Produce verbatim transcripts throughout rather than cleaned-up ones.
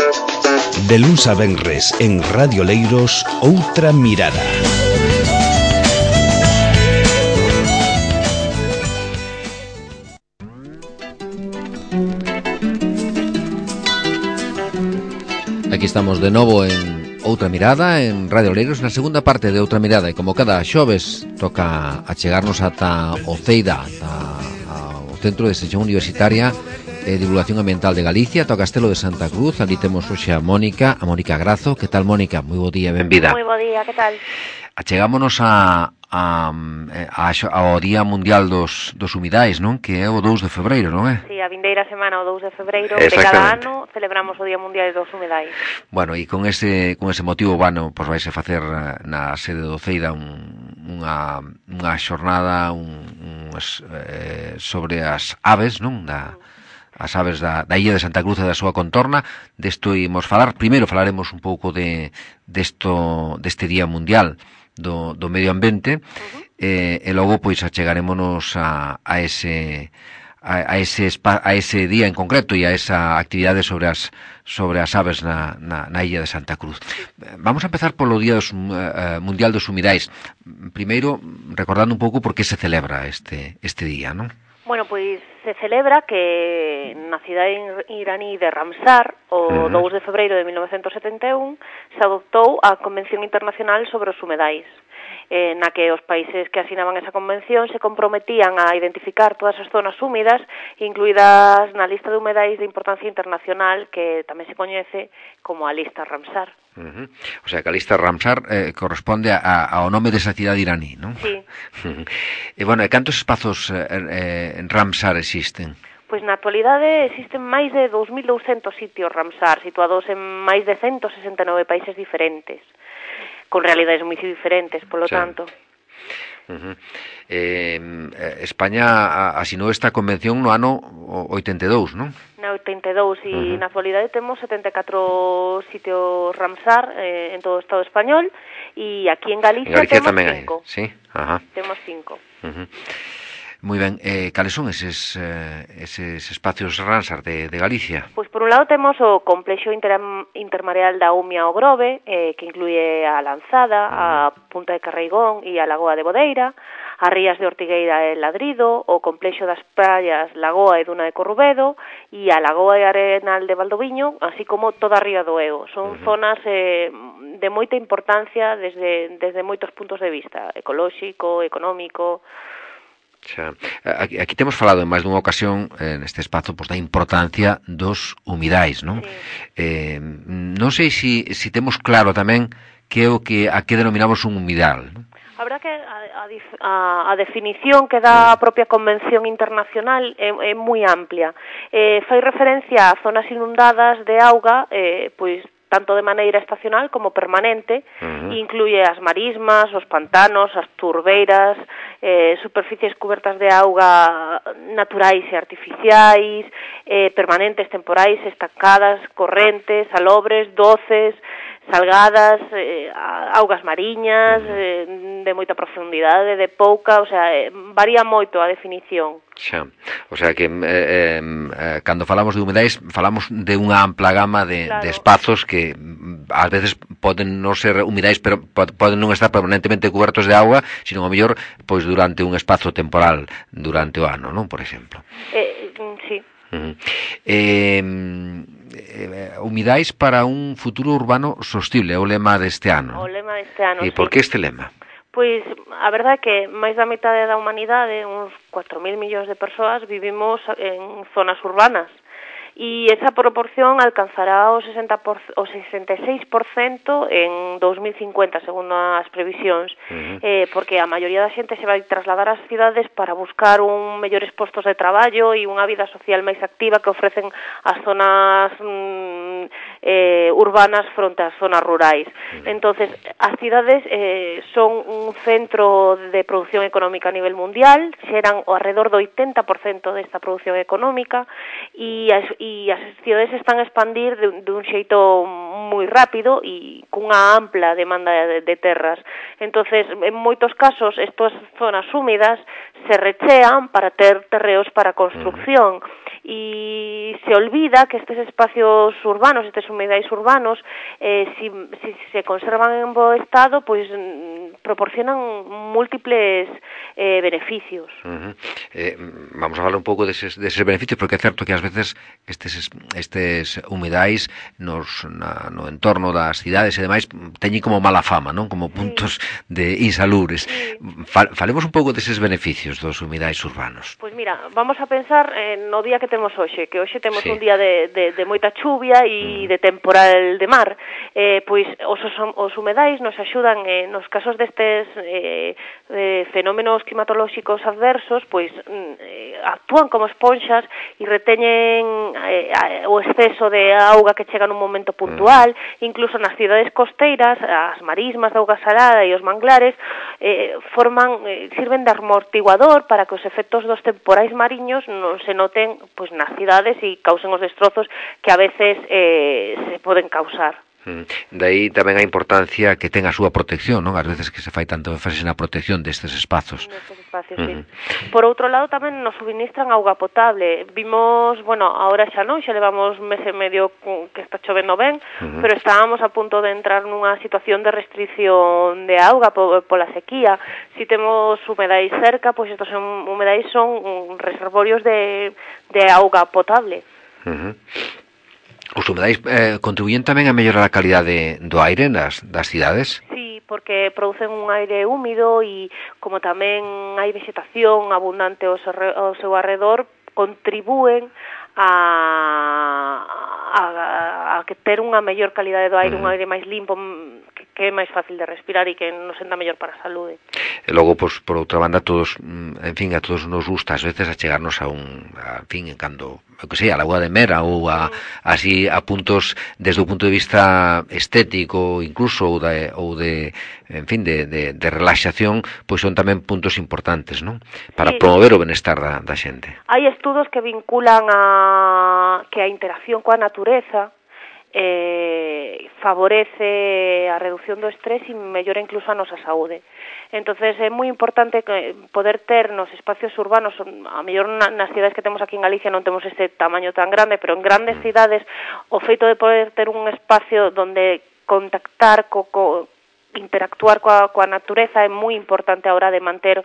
De luns a venres en Radio Leiros, Outra Mirada. Aquí estamos de novo en Outra Mirada, en Radio Leiros, na segunda parte de Outra Mirada, e como cada xoves toca achegarnos ata o CEIDA, ata o Centro de Extensión Universitaria e Divulgación Ambiental de Galicia, toca Castelo de Santa Cruz. Ali temos hoxe a Mónica, a Mónica Grazo. Que tal, Mónica? Moi bo día, benvida. Moi bo día, que tal? Achegámonos a, a, a, ao Día Mundial dos, dos Humidais, non? Que é o dous de febreiro, non é? Si, a vindeira semana, o dous de febreiro de cada ano, celebramos o Día Mundial dos Humidais. Bueno, e con ese, con ese motivo, bueno, pois vais a facer na sede do CEIDA un, unha, unha xornada un, un, eh, sobre as aves, non? Da, as aves da, da illa de Santa Cruz e da súa contorna. Desto imos falar. Primeiro falaremos un pouco de desto, deste Día Mundial do, do Medio Ambiente, uh-huh. eh, e logo pois achegarémonos a, a ese a, a ese spa, a ese día en concreto e a esa actividade sobre as sobre as aves na, na, na illa de Santa Cruz. Vamos a empezar polo Día dos, uh, Mundial dos Humidais. Primeiro, recordando un pouco por que se celebra este este día, non? Bueno, pois se celebra que na cidade iraní de Ramsar, o uh-huh. dous de febreiro de mil novecentos setenta e un, se adoptou a Convención Internacional sobre os Humedais, eh, na que os países que asinaban esa convención se comprometían a identificar todas as zonas húmidas, incluídas na lista de humedais de importancia internacional, que tamén se coñece como a lista Ramsar. Uh-huh. O sea, que a lista Ramsar eh, corresponde a, ao nome desa cidade iraní, non? Sí. E, bueno, e cantos espazos eh, eh, en Ramsar existen? Pois na actualidade existen máis de dous mil douscentos sitios Ramsar, situados en máis de ciento sesenta e nove países diferentes, con realidades moi diferentes, polo sí. tanto. Uh-huh. eh, España asinou esta convención no ano oitenta e dous, non? Na oitenta e dous, e uh-huh. na actualidade temos setenta e catro sitios Ramsar eh, en todo o Estado español, e aquí en Galicia, en Galicia temos tamén cinco. Hai, sí? Ajá. Temos cinco. Uh-huh. Moi ben, eh, cales son eses, eh, eses espacios Ramsar de, de Galicia? Pois por un lado temos o complexo inter, intermareal da Umia ao Grove, eh, que incluye a Lanzada, uh-huh. a Punta de Carreigón e a Lagoa de Bodeira, as rías de Ortigueira e Ladrido, o complexo das praias Lagoa e Duna de Corrubedo e a Lagoa e Arenal de Valdoviño, así como toda a ría do Eo. Son uh-huh. zonas eh, de moita importancia desde, desde moitos puntos de vista, ecolóxico, económico. Xa, aquí, aquí temos falado en máis dunha ocasión eh, neste espazo pois, da importancia dos humidais, non? Sí. Eh, non sei se si, si temos claro tamén que é o que a que denominamos un humidal, non? Habrá que a, a, a definición que dá a propia Convención Internacional é, é moi amplia. Eh, fai referencia a zonas inundadas de auga, eh, pois tanto de maneira estacional como permanente, uh-huh. incluye as marismas, os pantanos, as turbeiras, eh, superficies cubertas de auga naturais e artificiais, eh, permanentes, temporais, estancadas, correntes, salobres, doces, salgadas, eh, augas mariñas, eh, de moita profundidade, de pouca, o sea, eh, varía moito a definición. Xa, o sea que eh, eh, cando falamos de humedais falamos de unha ampla gama de, claro. de espazos que ás veces poden non ser humidais, pero poden non estar permanentemente cobertos de auga, sino a mellor pois durante un espazo temporal durante o ano, non, por exemplo. Eh, sí. Uh-huh. Eh, eh, humidais para un futuro urbano sostible, é o lema deste ano. O lema deste ano, E sí. por que este lema? Pois a verdade é que máis da metade da humanidade, uns cuatro mil millóns de persoas, vivimos en zonas urbanas. E esa proporción alcanzará o, sesenta por, o sesenta e seis por cento en dos mil cincuenta, segundo as previsións, uh-huh. eh, porque a maioría da xente se vai trasladar ás cidades para buscar un mellores postos de traballo e unha vida social máis activa que ofrecen as zonas mm, eh, urbanas fronte ás zonas rurais. Uh-huh. Entonces, as cidades eh, son un centro de produción económica a nivel mundial, xeran o alrededor do oitenta por cento desta produción económica, e as e as cidades se están a expandir de, de un xeito moi rápido e cunha ampla demanda de, de terras. Entonces, en moitos casos, estas zonas húmidas se rechean para ter terreos para construcción. E se olvida que estes espacios urbanos, estes humidais urbanos, eh, si, si se conservan en bo estado, pois proporcionan múltiples eh, beneficios. Uh -huh. eh, vamos a falar un pouco deses, deses beneficios, porque é certo que ás veces estes, estes humidais nos, na, no entorno das cidades e demais teñen como mala fama, non? Como puntos sí. de insalubres. Sí. Falemos un pouco deses beneficios dos humidais urbanos. Pois mira, vamos a pensar eh, no día que temos hoxe, que hoxe temos sí. un día de, de, de moita chuvia e mm. de temporal de mar. Eh, pois os, os humedais nos axudan eh, nos casos destes eh, eh, fenómenos climatolóxicos adversos, pois eh, actúan como esponxas e reteñen eh, o exceso de auga que chega nun momento puntual, mm. incluso nas cidades costeiras, as marismas de auga salada e os manglares eh, forman, eh, sirven de amortiguador para que os efectos dos temporais mariños non se noten pois nas cidades e causen os destrozos que a veces eh, se poden causar. De aí tamén a importancia que ten a súa protección, non? Ás veces que se fai tanto énfasis na protección destes espazos. Nestes espacios, uh -huh. sí. Por outro lado, tamén nos suministran auga potable. Vimos, bueno, ahora xa non, xa levamos mes e medio que está chovendo ben, uh -huh. pero estábamos a punto de entrar nunha situación de restricción de auga pola sequía. Si temos humedais cerca, pois estos humedais son reservorios de, de auga potable. Uh -huh. Os humedais eh, contribuyen tamén a mellorar a calidade do aire nas das cidades? Sí, porque producen un aire húmido e como tamén hai vegetación abundante ao seu, ao seu arredor, contribúen a, a, a que ter unha mellor calidade do aire, uh -huh. un aire máis limpo, que, que é máis fácil de respirar e que nos senta mellor para a saúde. E logo, pois, por outra banda, todos, en fin, a todos nos gusta ás veces a chegarnos a un, a, en fin, cando, o que sei, a Lagoa de Mera ou a, así a puntos desde o punto de vista estético, incluso, ou de, ou de en fin, de, de, de relaxación, pois son tamén puntos importantes, non? Para sí. promover o benestar da, da xente. Hai estudos que vinculan a que a interacción coa natureza eh, favorece a reducción do estrés e mellora incluso a nosa saúde. Entonces é moi importante que poder ter nos espacios urbanos, a mellor nas cidades que temos aquí en Galicia non temos este tamaño tan grande, pero en grandes cidades o feito de poder ter un espacio donde contactar, co, co, interactuar coa, coa natureza é moi importante a hora de manter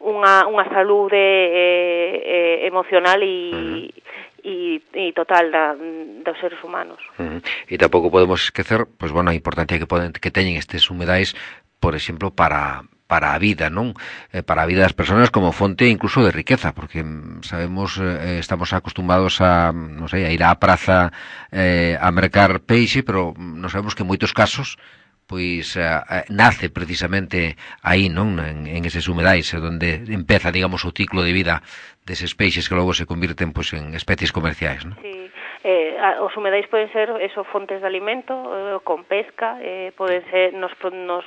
unha, unha saúde eh, eh, emocional e uh -huh. E, e total da, dos seres humanos. Uh -huh. E tampouco podemos esquecer, pois, bueno, a importancia que poden que teñen estes humedais, por exemplo, para para a vida, non? Eh, para a vida das persoas como fonte incluso de riqueza, porque sabemos, eh, estamos acostumbrados a, non sei, a ir á praza eh, a mercar peixe, pero non sabemos que en moitos casos pois uh, nace precisamente aí, non? En, en eses humedais, onde empeza, digamos, o ciclo de vida deses peixes que logo se convirten pois en especies comerciais, non? Sí. Eh, os humedais poden ser eso, fontes de alimento, eh, con pesca, eh, poden ser, nos, nos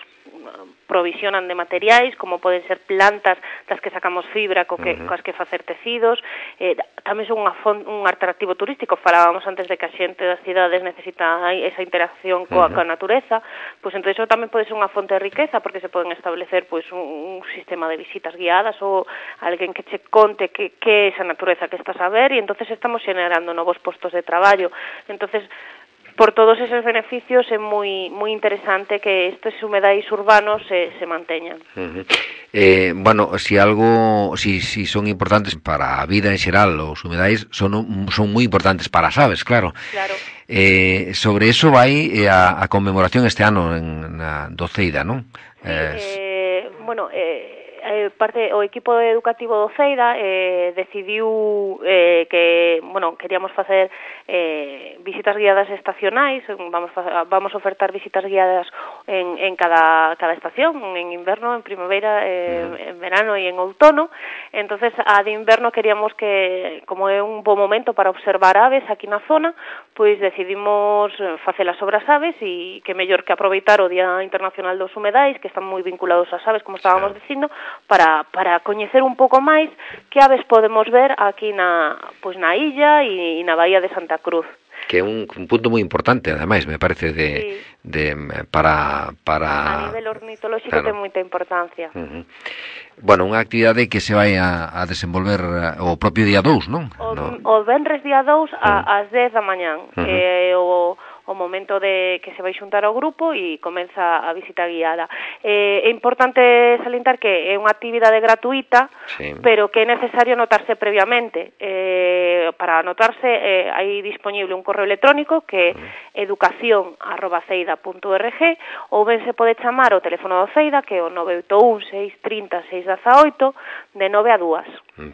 provisionan de materiais, como poden ser plantas das que sacamos fibra, co que, uh -huh. coas que facer tecidos, eh, tamén son unha font, un atractivo turístico. Falábamos antes de que a xente das cidades necesita esa interacción coa, uh -huh. coa natureza, pois entón iso tamén pode ser unha fonte de riqueza, porque se poden establecer pois un, un sistema de visitas guiadas ou alguén que che conte que, que é esa natureza que estás a ver, e entonces estamos generando novos postos de traballo. Entonces, por todos esos beneficios é moi moi interesante que estes humedais urbanos se, se manteñan. Uh -huh. eh, bueno, si algo, si, si son importantes para a vida en xeral, os humedais son, son moi importantes para as aves, claro. Claro. Eh, sobre eso vai a, a conmemoración este ano en na Doceida, non? Sí, eh, eh, bueno, eh, Eh, parte o equipo educativo do Ceida eh, decidiu eh, que, bueno, queríamos facer eh, visitas guiadas estacionais, vamos vamos a ofertar visitas guiadas en, en cada, cada estación, en inverno, en primavera, eh, en verano e en outono. Entonces, a de inverno queríamos que, como é un bo momento para observar aves aquí na zona, pois decidimos facelas sobre as aves, e que mellor que aproveitar o Día Internacional dos Humedais, que están moi vinculados ás aves, como estábamos dicindo, para, para coñecer un pouco máis que aves podemos ver aquí na, pois na illa e, e na Bahía de Santa Cruz. Que é un, un punto moi importante, ademais, me parece, de, sí. de para, para... A nivel ornitolóxico claro. ten moita importancia. Uh-huh. Bueno, unha actividade que se vai a, a desenvolver o propio día dous, non? O, no. o venres día dous a, uh-huh. ás dez da mañán. Uh-huh. Eh, o... o momento de que se vai xuntar ao grupo e comeza a visita guiada. Eh, é importante salientar que é unha actividade gratuita, sí. pero que é necesario anotarse previamente. Eh, para anotarse eh, hai disponible un correo electrónico que é educación arroba ceida punto org ou ben se pode chamar o teléfono do Ceida que é o nove oito un, seis tres cero, seis uno oito de nove a dúas.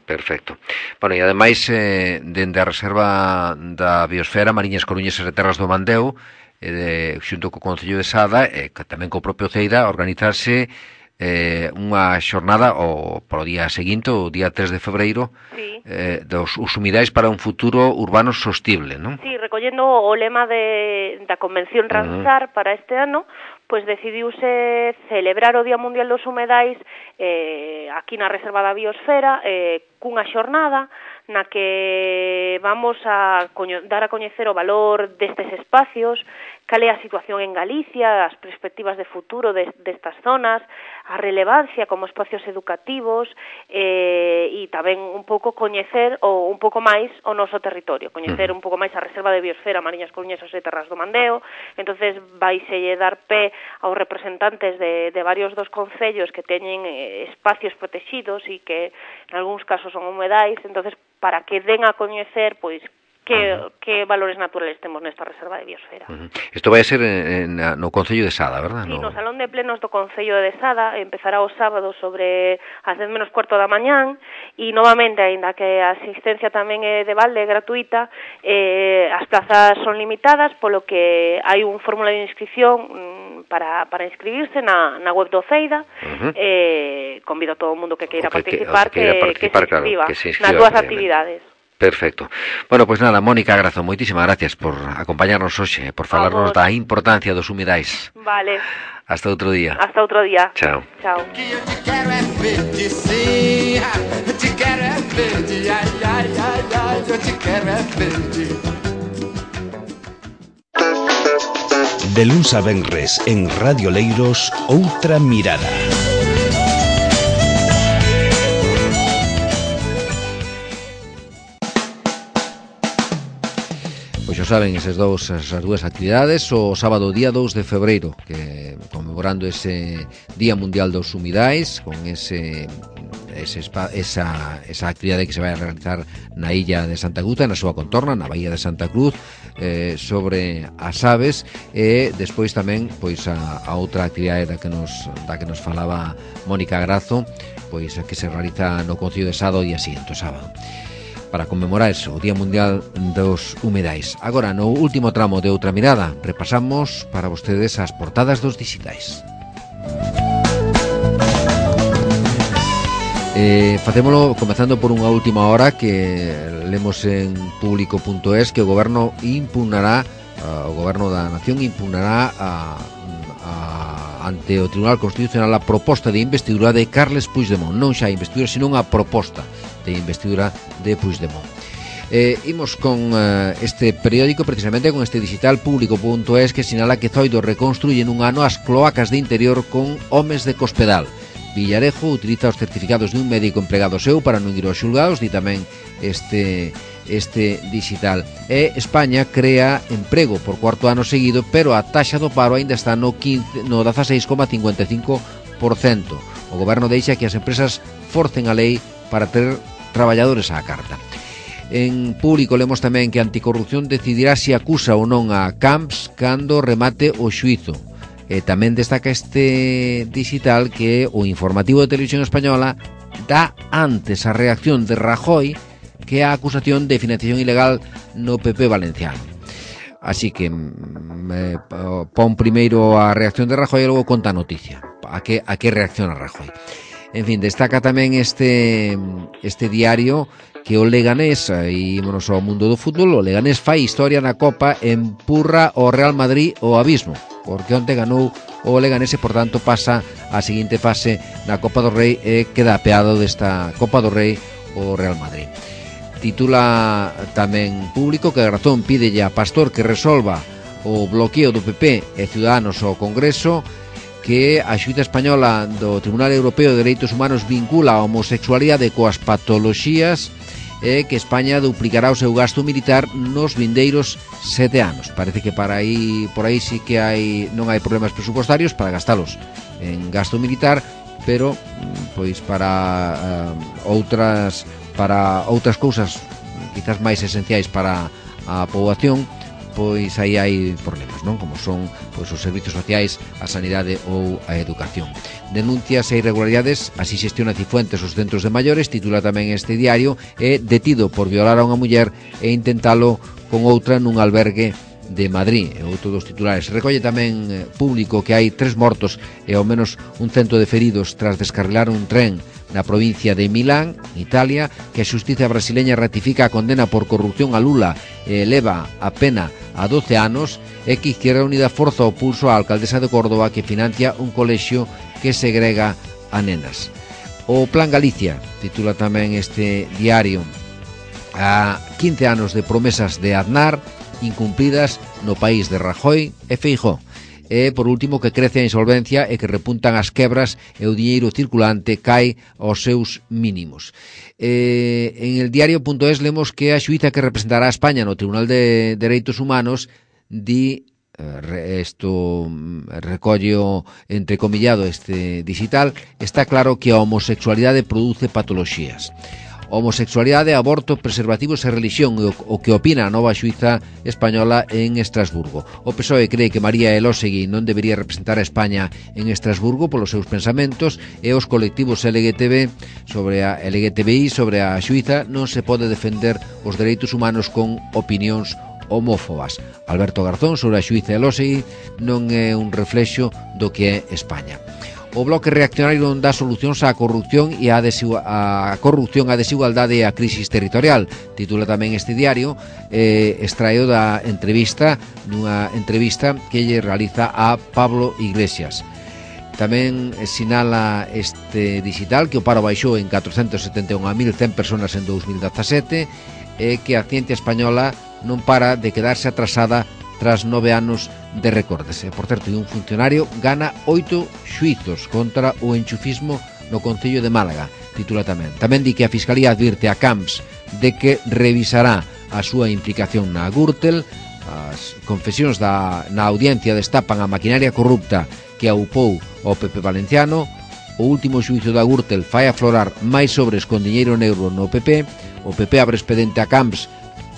Perfecto. Bueno, e ademais, eh, dende a Reserva da Biosfera, Mariñas, Coruñas e Terras do Mandeo, eh, xunto co Concello de Sada, e eh, tamén co propio Ceida, organizarse eh, unha xornada o pro día seguinte, o día tres de febreiro, sí. eh, dos humidais para un futuro urbano sostible, non? Sí, recollendo o lema de, da Convención Ramsar uh-huh. para este ano, pois decidiuse celebrar o Día Mundial dos Humedais eh, aquí na Reserva da Biosfera eh, cunha xornada na que vamos a coño, dar a coñecer o valor destes espacios, cal é a situación en Galicia, as perspectivas de futuro de, destas zonas, a relevancia como espacios educativos eh, e tamén un pouco coñecer ou un pouco máis o noso territorio, coñecer un pouco máis a Reserva de Biosfera, Mariñas, Coruñas e Terras do Mandeo. Entonces vaiselle dar pé aos representantes de, de varios dos concellos que teñen eh, espacios protegidos e que en algúns casos son humedais, entonces para que den a coñecer pois que, uh-huh. que valores naturales temos nesta Reserva de Biosfera. Uh-huh. Isto vai a ser en, en, no Concello de Sada, verdad? Sí, no... no Salón de Plenos do Concello de Sada, empezará o sábado sobre as dez menos cuarto da mañán e novamente, aínda que a asistencia tamén é de balde, gratuita, eh, as plazas son limitadas, polo que hai un formulario de inscripción para, para inscribirse na, na web do Ceida. Uh-huh. eh, convido a todo o mundo que queira que, participar, que, que, participar, que, se inscriba, claro, que se inscriba nas dúas actividades. Perfecto. Bueno, pois pues nada, Mónica Grazo, moitísimas gracias por acompañarnos hoxe, por falarnos da importancia dos humidais. Vale. Hasta outro día. Hasta outro día. Chao. Chao. De luns a venres en Radio Leiros, outra mirada. Pois xa saben, esas dous, esas dúas actividades, o sábado día dous de febreiro, que conmemorando ese Día Mundial dos Humidais, con ese, ese esa, esa actividade que se vai a realizar na illa de Santa Cruz, na súa contorna, na Bahía de Santa Cruz, eh, sobre as aves, e despois tamén pois a, a outra actividade da que nos da que nos falaba Mónica Grazo, pois a que se realiza no Concello de Sada o día seguinte, o sábado, para conmemorar eso, o Día Mundial dos Humedais. Agora, no último tramo de Outra Mirada, repasamos para vostedes as portadas dos dixitais. Eh, facémolo comezando por unha última hora que lemos en público punto es, que o goberno impugnará, uh, o goberno da nación impugnará a, a, ante o Tribunal Constitucional a proposta de investidura de Carles Puigdemont. Non xa a investidura, senón a proposta de investidura de Puigdemont. Eh, imos con uh, este periódico, precisamente con este digital público punto es, que sinala que Zoido reconstruye nun ano as cloacas de interior con homes de Cospedal. Villarejo utiliza os certificados de un médico empregado seu para non ir aos xulgados, di tamén este este digital. E España crea emprego por cuarto ano seguido, pero a taxa do paro aínda está no, quince, no dezaseis coma cincuenta e cinco por cento. O goberno deixa que as empresas forcen a lei para ter traballadores á carta. En público lemos tamén que Anticorrupción decidirá se acusa ou non a Camps cando remate o xuízo. E tamén destaca este digital que o informativo de Televisión Española dá antes a reacción de Rajoy que a acusación de financiación ilegal no P P valenciano. Así que eh, pon primeiro a reacción de Rajoy e logo conta a noticia. A que, a que reacciona Rajoy. En fin, destaca tamén este este diario que o Leganés, e ímonos ao mundo do fútbol, o Leganés fai historia na Copa, empurra o Real Madrid ao abismo. porque onte ganou o Leganés e, por tanto, pasa á seguinte fase na Copa do Rei e queda apeado desta Copa do Rei o Real Madrid. Titula tamén Público que a razón pídelle a Pastor que resolva o bloqueo do P P e Ciudadanos ao Congreso, que a xuíza española do Tribunal Europeo de Dereitos Humanos vincula a homosexualidade coas patoloxías e que España duplicará o seu gasto militar nos vindeiros sete anos. Parece que para aí por aí sí que hai non hai problemas presupuestarios para gastalos en gasto militar, pero pois para uh, outras para outras cousas quizás máis esenciais para a poboación, pois aí hai problemas, non? Como son pois os servizos sociais, a sanidade ou a educación. Denuncias e irregularidades, así xestiona Cifuentes os centros de maiores, titula tamén este diario, é detido por violar a unha muller e intentalo con outra nun albergue de Madrid, e outro dos titulares. Recolle tamén eh, Público que hai tres mortos e ao menos un cento de feridos tras descarrilar un tren na provincia de Milán, Italia, que a xustiza brasileña ratifica a condena por corrupción a Lula e eleva a pena a doce anos, e que Izquierda Unida forza o pulso á alcaldesa de Córdoba que financia un colexio que segrega a nenas. O Plan Galicia, titula tamén este diario, a quince anos de promesas de Aznar incumplidas no país de Rajoy e Feijóo. E, por último, que crece a insolvencia e que repuntan as quebras e o diñeiro circulante cae aos seus mínimos. Eh, en el diario.es lemos que a xuíza que representará a España no Tribunal de Dereitos Humanos di, eh, isto recollo entrecomillado este digital, está claro que a homosexualidade produce patoloxías. Homosexualidade, aborto, preservativos e religión, o, o que opina a nova xuíza española en Estrasburgo. O P S O E cree que María Elósegui non debería representar a España en Estrasburgo polos seus pensamentos, e os colectivos L G T B sobre a L G T B I sobre a xuíza non se pode defender os dereitos humanos con opinións homófobas. Alberto Garzón sobre a xuíza Elósegui non é un reflexo do que é España. O Bloque Reaccionario non dá solucións á corrupción e á a corrupción, á desigualdade e á crisis territorial. Titula tamén este diario, eh, extraído da entrevista, nunha entrevista que lle realiza a Pablo Iglesias. Tamén sinala este digital que o paro baixou en catrocentos setenta e un mil cen personas en dous mil dezasete e que a ciencia española non para de quedarse atrasada tras nove anos de recortes. Por certo, un funcionario gana oito xuizos contra o enchufismo no Concello de Málaga, titula tamén. Tamén di que a Fiscalía advirte a Camps de que revisará a súa implicación na Gürtel. As confesións da, na audiencia destapan a maquinaria corrupta que aupou o P P valenciano. O último xuizo da Gürtel fai aflorar máis sobres con diñeiro negro no P P. O P P abre expediente a Camps,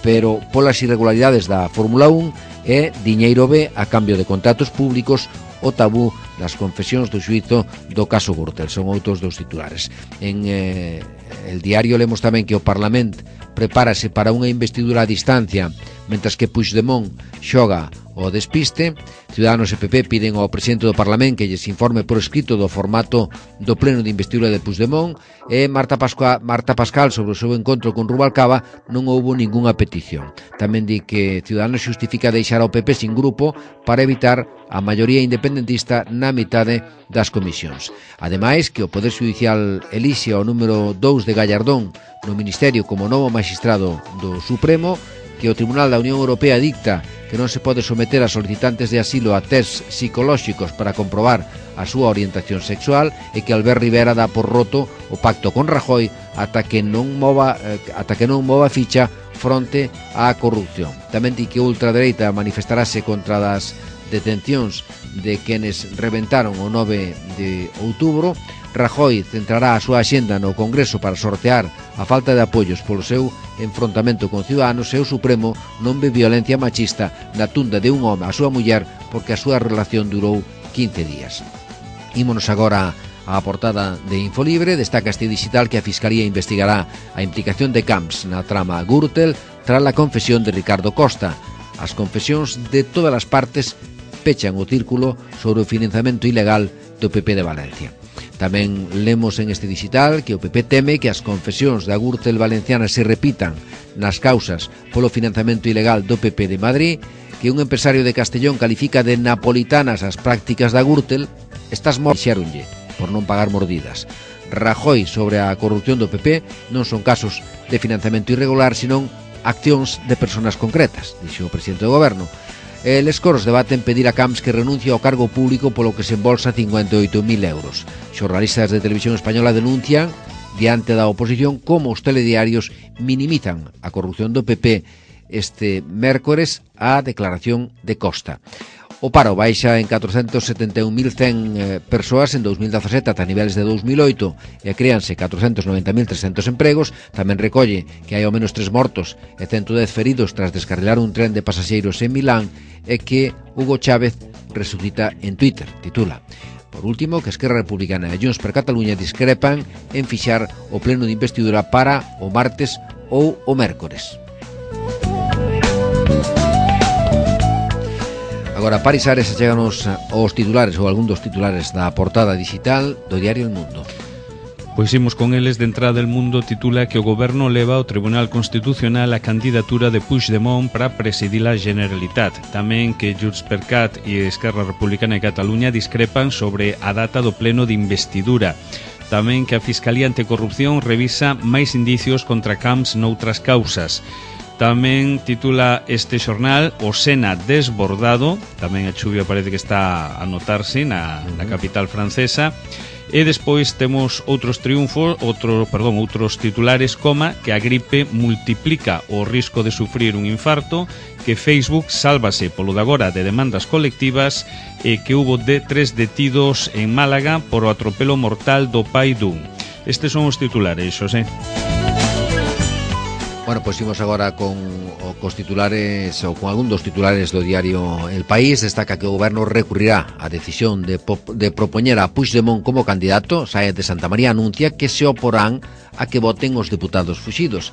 pero polas irregularidades da Fórmula un, e diñeiro B a cambio de contratos públicos, o tabú das confesións do xuízo do caso Gürtel. Son outros dos titulares. En eh, el diario lemos tamén que o Parlamento prepárase para unha investidura a distancia, mentras que Puigdemont xoga o despiste. Ciudadanos e P P piden ao presidente do Parlamento que lles informe por escrito do formato do pleno de investidura de Puigdemont, e Marta Pascual, Marta Pascal sobre o seu encontro con Rubalcaba non houbo ningunha petición. Tamén di que Ciudadanos xustifica deixar ao P P sin grupo para evitar a maioría independentista na mitade das comisións. Ademais, que o Poder Judicial elixe o número dous de Gallardón no Ministerio como novo magistrado do Supremo, que o Tribunal da Unión Europea dicta que non se pode someter a solicitantes de asilo a tests psicolóxicos para comprobar a súa orientación sexual, e que Albert Rivera dá por roto o pacto con Rajoy ata que non mova eh, ata que non mova ficha fronte á corrupción. Tamén di que a ultradereita manifestarase contra das detencións de quenes reventaron o nove de outubro. Rajoy centrará a súa axenda no Congreso para sortear a falta de apoios polo seu enfrontamento con Ciudadanos, e o Supremo non ve violencia machista na tunda de un home a súa muller porque a súa relación durou quince días. Ímonos agora á portada de Infolibre. Destaca este digital que a Fiscalía investigará a implicación de Camps na trama Gürtel tras a confesión de Ricardo Costa. As confesións de todas as partes pechan o círculo sobre o financiamento ilegal do P P de Valencia. Tamén lemos en este digital que o P P teme que as confesións da Gürtel valenciana se repitan nas causas polo financiamento ilegal do P P de Madrid, que que un empresario de Castellón califica de napolitanas as prácticas da Gürtel, estás morxeronlle por non pagar mordidas. Rajoy sobre a corrupción do P P non son casos de financiamento irregular, senón accións de persoas concretas, dixo o presidente do goberno. Les coros debaten pedir a Camps que renuncie ao cargo público polo que se embolsa cincuenta e oito mil euros. Xornalistas de Televisión Española denuncian diante da oposición como os telediarios minimizan a corrupción do P P este mércores a declaración de Costa. O paro baixa en catrocentos setenta e un mil cen eh, persoas en dos mil dezasete ata niveles de dos mil oito e créanse catrocentos noventa mil trescentos empregos. Tamén recolle que hai ao menos tres mortos e ciento dez feridos tras descarrilar un tren de pasaxeiros en Milán e que Hugo Chávez resucita en Twitter, titula. Por último, que Esquerra Republicana e Junts per Catalunya discrepan en fixar o pleno de investidura para o martes ou o mércores. Agora, Paris Ares, cheganos aos titulares ou algún dos titulares da portada digital do diario El Mundo. Pois imos con eles. De entrada, El Mundo titula que o goberno leva ao Tribunal Constitucional a candidatura de Puigdemont para presidir a Generalitat. Tamén que Junts per Cat e Esquerra Republicana de Catalunya discrepan sobre a data do pleno de investidura. Tamén que a Fiscalía Anticorrupción revisa máis indicios contra Camps noutras causas. Tamén titula este xornal o Sena desbordado, tamén a chuvia parece que está a notarse na, na capital francesa. E despois temos outros triunfos, outro, perdón, outros titulares, coma que a gripe multiplica o risco de sufrir un infarto, que Facebook sálvase polo de agora de demandas colectivas e que hubo de tres detidos en Málaga por o atropelo mortal do pai dun. Estes son os titulares, Xosé. Bueno, pois imos agora con os titulares ou con algún dos titulares do diario El País. Destaca que o goberno recurrirá á decisión de, de propoñer a Puigdemont como candidato. Sáenz de Santa María anuncia que se oporán a que voten os deputados fuxidos.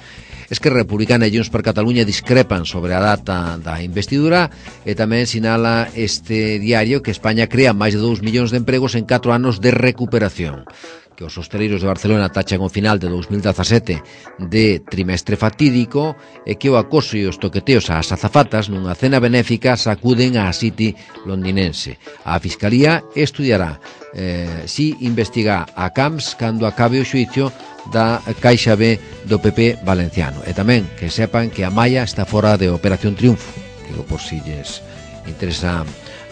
Esquerra Republicana e Junts per Catalunya discrepan sobre a data da investidura e tamén sinala este diario que España crea máis de dous millóns de empregos en catro anos de recuperación, que os hostaleiros de Barcelona tachan o final de dos mil dezasete de trimestre fatídico e que o acoso e os toqueteos ás azafatas nunha cena benéfica sacuden á City londinense. A Fiscalía estudiará eh, si investiga a Camps cando acabe o xuicio da Caixa B do P P valenciano. E tamén que sepan que a Maia está fora de Operación Triunfo, digo por si lles interesa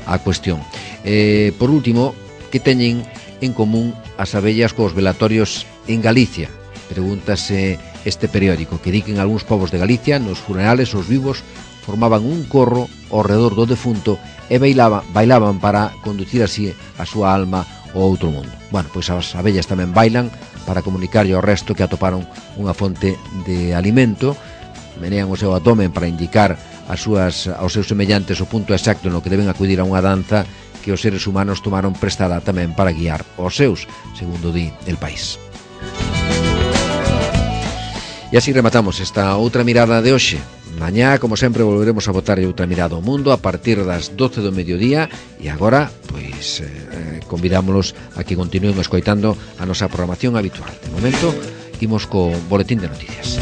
a cuestión. Eh, por último, que teñen en común as abellas cos velatorios en Galicia? Pregúntase este periódico, que di que en algúns povos de Galicia nos funerales os vivos formaban un corro ao redor do defunto e bailaban, bailaban para conducir así a súa alma ao outro mundo. Bueno, pois as abellas tamén bailan para comunicarlle ao resto que atoparon unha fonte de alimento, menean o seu abdomen para indicar as súas, aos seus semellantes o punto exacto no que deben acudir a unha danza que os seres humanos tomaron prestada tamén para guiar os seus, segundo di El País. E así rematamos esta outra mirada de hoxe. Mañá, como sempre, volveremos a botar outra mirada ao mundo a partir das doce do mediodía e agora, pois, eh, convidámolos a que continúen escoitando a nosa programación habitual. De momento, imos co boletín de noticias.